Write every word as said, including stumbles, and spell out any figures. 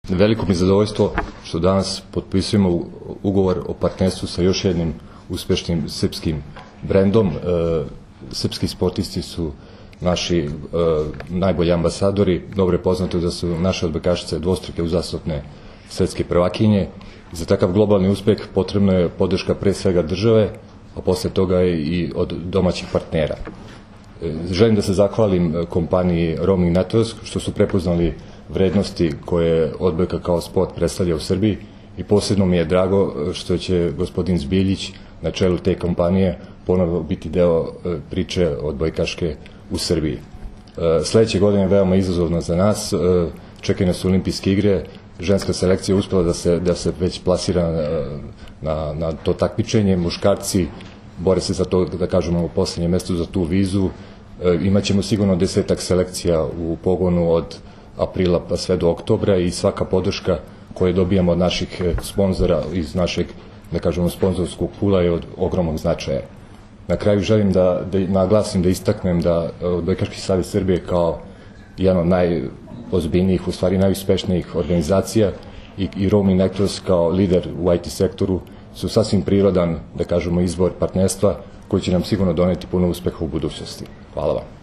Veliko mi je zadovoljstvo što danas potpisujemo ugovor o partnerstvu sa još jednim uspešnim srpskim brendom. Srpski sportisti su naši najbolji ambasadori. Dobro je poznato da su naše odbojkašice dvostruke uzastopne svetske prvakinje. Za takav globalni uspeh potrebna je podrška pre svega države, a posle toga i od domaćih partnera. Želim da se zahvalim kompaniji Roaming Networks što su prepoznali vrednosti koje odbojka kao sport predstavlja u Srbiji i posebno mi je drago što će gospodin Zbiljić na čelu te kompanije ponovo biti deo priče odbojkaške u Srbiji. Sledeće godine je veoma izazovno za nas, čekaju nas olimpijske igre, ženska selekcija je uspela da se, da se već plasira na, na to takmičenje, muškarci bore se za to, da kažemo, u poslednjem mestu za tu vizu. Imaćemo sigurno desetak selekcija u pogonu od aprila pa sve do oktobra i svaka podrška koju dobijamo od naših sponzora iz našeg, da kažemo, sponzorskog pula je od ogromnog značaja. Na kraju želim da, da naglasim, da istaknem da Odbojkaški savez Srbije kao jedan od najozbiljnijih, u stvari najuspešnijih organizacija i, i Roaming Networks kao lider u I T sektoru su sasvim prirodan, da kažemo, izbor partnerstva koji će nam sigurno doneti puno uspeha u budućnosti. Hvala vam.